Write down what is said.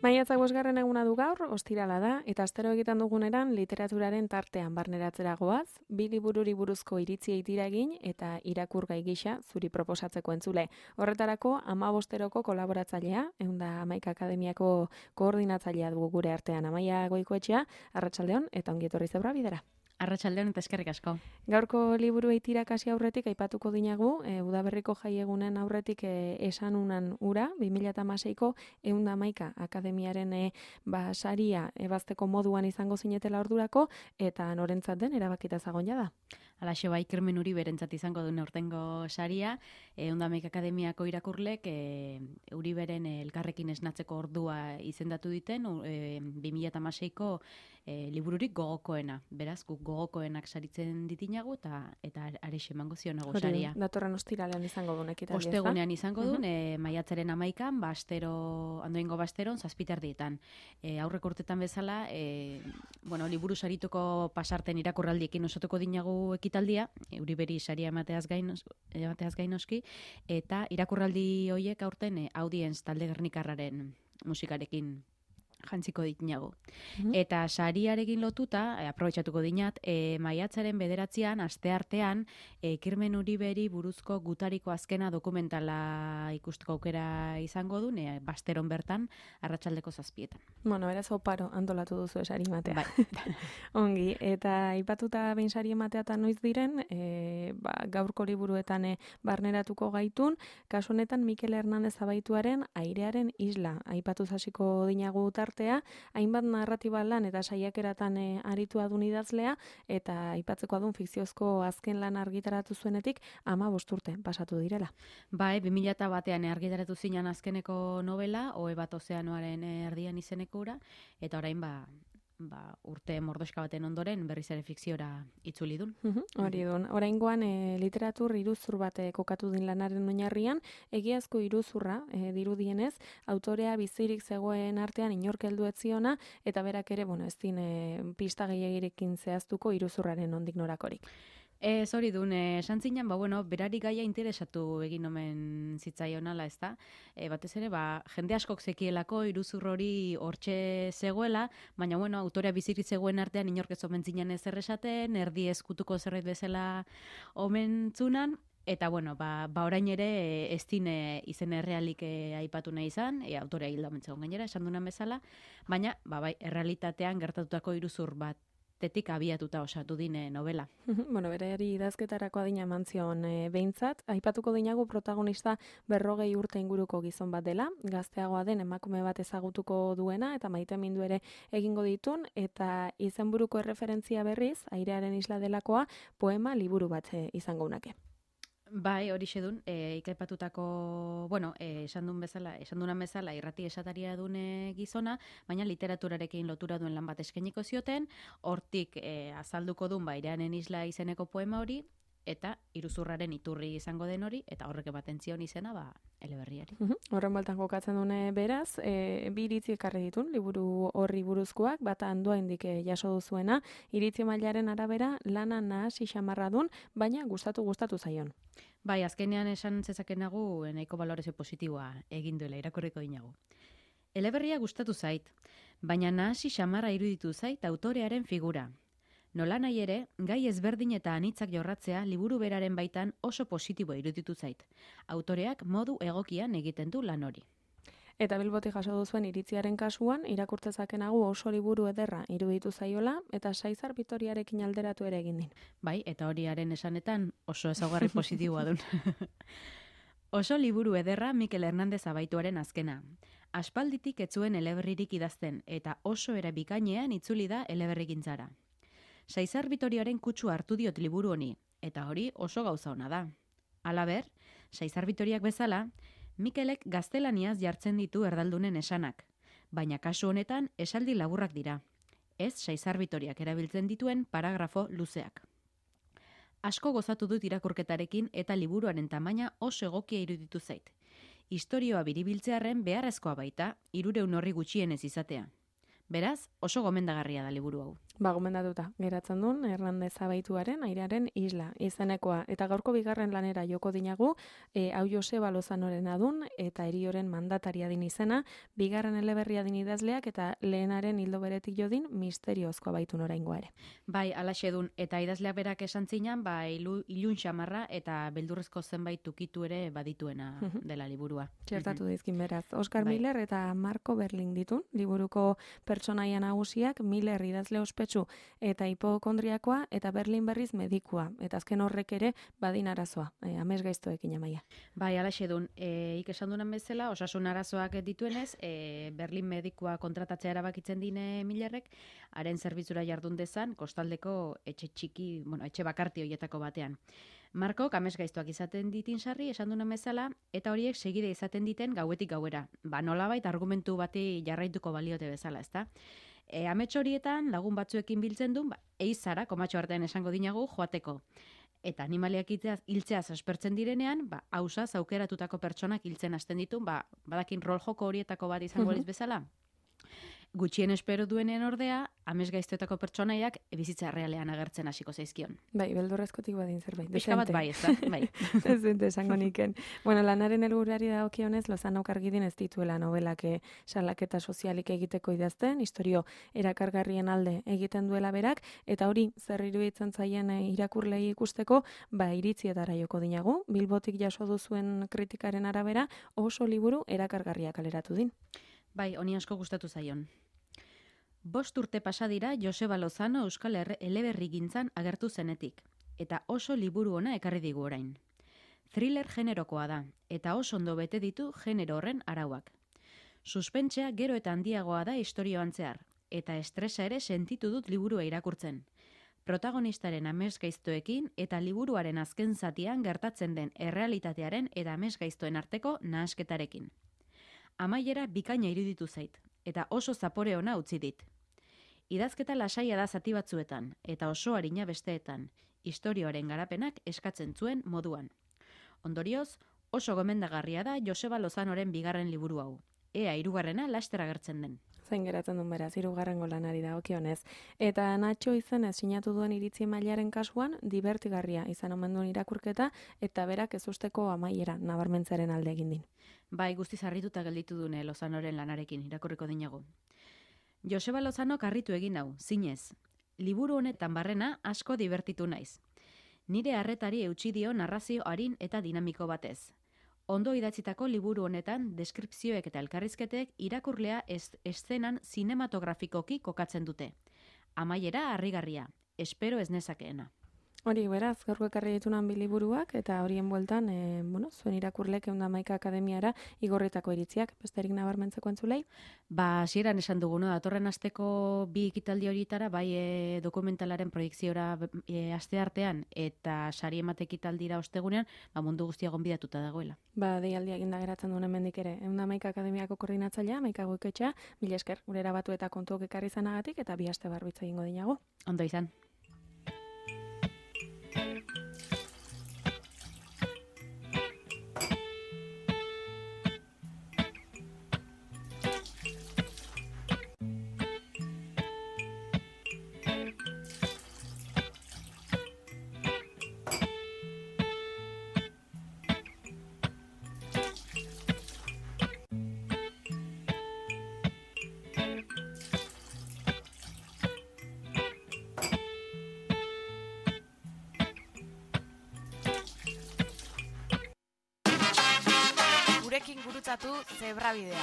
Maiatzak 5. eguna du gaur, ostirala da, eta astero egiten duguneran literaturaren tartean barneratzera goaz, 2 libururi buruzko iritziei tira egin eta irakurgai gisa zuri proposatzeko entzule. Horretarako 15-eroko kolaboratzailea, 111 Akademiako koordinatzailea dugu gure artean, Amaia Goikoetxea, arratsaldeon eta ongi etorri Zebra Bidera. Arratsaldeon eta eskerrik asko. Gaurko liburuei tirakasi aurretik aipatuko dinagu, udaberriko jaiegunen aurretik esan unan ura, 2016ko 111 Akademiaren saria ebazteko moduan izango zinetela ordurako, eta norentzat den erabakita zagon jada. Alaxe bai, Kermen Uriberentzat izango duen aurtengo saria, 111 Akademiako irakurlek Uriberen elkarrekin esnatzeko ordua izendatu diten, 2016ko libururik gogokoena. Beraz, guk gogokoenak saritzen ditinagu eta arexe emango zionago saria. Datorren ostiralean izango duen ekitaldia. Ostegunean izango duen, maiatzaren 11an, andoengo basteron, 7:00 aurreko urtetan bezala, liburu sarituko pasarten irakurraldiekin osatuko dinagu ekitaldia, Uriberi saria emateaz gainoski, eta irakurraldi horiek aurten Audience talde gernikarraren musikarekin jantziko ditinago. Eta sariarekin lotuta, aprobetxatuko dinat, maiatzaren 9an, asteartean, Kermen Uriberi buruzko gutariko azkena dokumentala ikusteko aukera izango du, basteron bertan, arratsaldeko 7:00. Bueno, beraz oparo antolatu duzu sari ematea. Bai. Ongi, eta aipatuta behin sari ematea eta noiz diren, gaurko liburuetan barneratuko gaitun, kasu honetan Mikel Hernandez Abaituaren Airearen isla aipatuz hasiko dinagu tartea, hainbat narratiba lan eta saiakeratan aritua dun idazlea, eta aipatzeko adun fikziozko azken lan argitaratu zuenetik 15 urte pasatu direla. Bai, 2001an argitaratu zinan azkeneko novela, Ohe bat ozeanoaren erdian izeneko ura, eta orain urte mordoska baten ondoren berriz ere fikziora itzuli dun. Hori dun. Oraingoan literatur iruzur bat kokatu din lanaren oinarrian, egiazko iruzurra dirudienez, autorea bizirik zegoen artean inork heldu ez ziona, eta berak ere, ez din pista gehiagirekin zehaztuko iruzurraren nondik norakorik. Hori dun, esan zinen, berari gaia interesatu egin omen zitzaionala, ez da? Batez ere, jende askok zekielako iruzur hori hortxe zegoela, baina, autorea bizirik zegoen artean inork ez omen zinen ezer esaten, erdi eskutuko zerbait bezala omen zunan, eta, orain ere ez dine izen errealik aipatu nahi izan, autorea hilda omen zegoen gainera, esan dunan bezala, baina, errealitatean gertatutako iruzur bat tetik abiatuta osatu dine novela. Berari idazketarako adina eman zion behintzat. Aipatuko dinagu protagonista 40 urte inguruko gizon bat dela, gazteagoa den emakume bat ezagutuko duena, eta maitemindu ere egingo ditun, eta izenburuko erreferentzia berriz, Airearen isla delakoa, poema liburu bat izango unake. Bai, hori xedun, ikaipatutako, esan dunan bezala irrati esataria dune gizona, baina literaturarekin lotura duen lan bat eskainiko zioten, hortik azalduko duen Airearen isla izeneko poema hori, eta iruzurraren iturri izango den hori, eta horrek ematen zion izena, eleberriari. Horren baltan kokatzen dune beraz, 2 iritzi ekarri ditun, liburu horri buruzkoak, bata Andoaindik jaso duzuena, iritzi mailaren arabera lana nahasi xamarra dun, baina gustatu zaion. Bai, azkenean esan zezakenagu nahiko balorezio positiboa egin duela, irakurriko dinagu. Eleberria gustatu zait, baina nahasi xamarra iruditu zait autorearen figura. Nola nahi ere, gai ezberdin eta anitzak jorratzea liburu beraren baitan oso positibo iruditu zait. Autoreak modu egokian egiten du lan hori. Eta Bilbotik jaso duzuen iritziaren kasuan, irakurtzezakenagu oso liburu ederra iruditu zaiola, eta Saizar Bitoriarekin alderatu ere egin din. Bai, eta horiaren esanetan oso ezaugarri positiboa dun. Oso liburu ederra Mikel Hernandez Abaituaren azkena. Aspalditik ez zuen eleberririk idazten, eta oso era bikainean itzuli da eleberrigintzara. Saizar Bitoriaren kutsu hartu diot liburu honi, eta hori oso gauza ona da. Halaber, Saizar Bitoriak bezala, Mikelek gaztelaniaz jartzen ditu erdaldunen esanak, baina kasu honetan esaldi laburrak dira. Ez Saizar Bitoriak erabiltzen dituen paragrafo luzeak. Asko gozatu dut irakurketarekin eta liburuaren tamaina oso egokia iruditu zait. Istorioa biribiltzearren beharrezkoa baita, 300 horri gutxienez izatea. Beraz, oso gomendagarria da liburu hau. Gomendatuta geratzen duen Hernandez Abaituaren Airearen isla izenekoa. Eta gaurko bigarren lanera joko dinagu, hau Joseba Lozanorena dun eta Herioren mandataria din izena, bigarren eleberria din idazleak eta lehenaren hildo beretik jodin misteriozkoa baitun oraingoa ere. Bai, alaxe dun, eta idazleak berak esan zinan, ilun xamarra eta beldurrezko zenbait tukitu ere badituena dela liburua. Txertatu dizkin beraz. Oscar Miller eta Marco Berling ditun, liburuko pertsonaia nagusiak, Miller idazle ospetsu eta hipokondriakoa eta Berlin berriz medikua. Eta azken horrek ere badin arazoa, amesgaiztoekin amaia. Bai, alaxe dun, esan dunan bezala, osasun arazoak dituenez, Berlin medikua kontratatzea erabakitzen dine Millerrek, haren zerbitzura jardun dezan, kostaldeko etxe bakarti horietako batean. Markok amesgaiztoak izaten ditin sarri, esan dunan bezala, eta horiek segide izaten diten gauetik gauera. Nolabait argumentu bati jarraituko baliote bezala, ezta? Amets horietan lagun batzuekin biltzen duen, eizara, komatxo artean esango dinagu, joateko. Eta animaliak hiltzeaz aspertzen direnean, hausaz aukeratutako pertsonak hiltzen hasten ditu, badakin rol joko horietako bat izango liz bezala. Gutxien espero duenen ordea, amesgaiztoetako pertsonaiak bizitza realean agertzen hasiko zaizkion. Bai, beldurrezkotik badin zerbait. Pixka bat bai, ez da, bai. Dezente esango niken. Bueno, lanaren helburuari dagokionez, Lozanok argidin ez dituela novelak salaketa sozialik egiteko idazten, historio erakargarrien alde egiten duela berak, eta hori zer iruditzen zaien irakurlei ikusteko, iritzietara joko dinagu, Bilbotik jaso duzuen kritikaren arabera, oso liburu erakargarria kaleratu din. Bai, honi asko gustatu zaion. 5 urte pasa dira Joseba Lozano euskal eleberrigintzan agertu zenetik, eta oso liburu ona ekarri digu orain. Thriller generokoa da, eta oso ondo bete ditu genero horren arauak. Suspentsea gero eta handiagoa da istorioan zehar, eta estresa ere sentitu dut liburua irakurtzen. Protagonistaren amesgaiztoekin eta liburuaren azken zatian gertatzen den errealitatearen eta amesgaiztoen arteko nahasketarekin. Amaiera bikaina iruditu zait, eta oso zapore ona utzi dit. Idazketa lasaia da zati batzuetan, eta oso arina besteetan, istorioaren garapenak eskatzen zuen moduan. Ondorioz, oso gomendagarria da Joseba Lozanoren bigarren liburu hau. Ea 3. laster agertzen den. Zain geratzen duen beraz, 3. lanari dagokionez. Eta Nacho izenez sinatu duen iritzi mailaren kasuan, divertigarria izan omen duen irakurketa, eta berak ez usteko amaiera nabarmentzaren alde egin din. Bai, guztiz harrituta gelditu dune Lozanoren lanarekin, irakurriko dinagu. Joseba Lozano harritu egin hau, zinez. Liburu honetan barrena asko divertitu naiz. Nire harretari eutsi dio narrazio arin eta dinamiko batez. Ondo idatzitako liburu honetan, deskripzioek eta elkarrizketek irakurlea eszenan zinematografikoki kokatzen dute. Amaiera harrigarria, espero ez nezakeena. Hori, beraz, gaurko ekarri ditunan biliburuak, eta horien bueltan, zuen irakurlek 111 akademiara igorritako iritziak, besterik nabarmentzeko entzulei? Hasieran esan dugu, datorren asteko 2 ekitaldi horietara, bai dokumentalaren proiekziora asteartean, eta sari emate ekitaldira ostegunean, mundu guztia gonbidatuta dagoela. Deialdia eginda geratzen duen hemendik ere. 111 akademiako koordinatzailea, Maika Goiketxea, mila esker, gure erabatu eta kontuok ekarri izanagatik, eta 2 aste barbitza egingo dinago. Ondo izan. Gurekin gurutzatu Zebrabidea.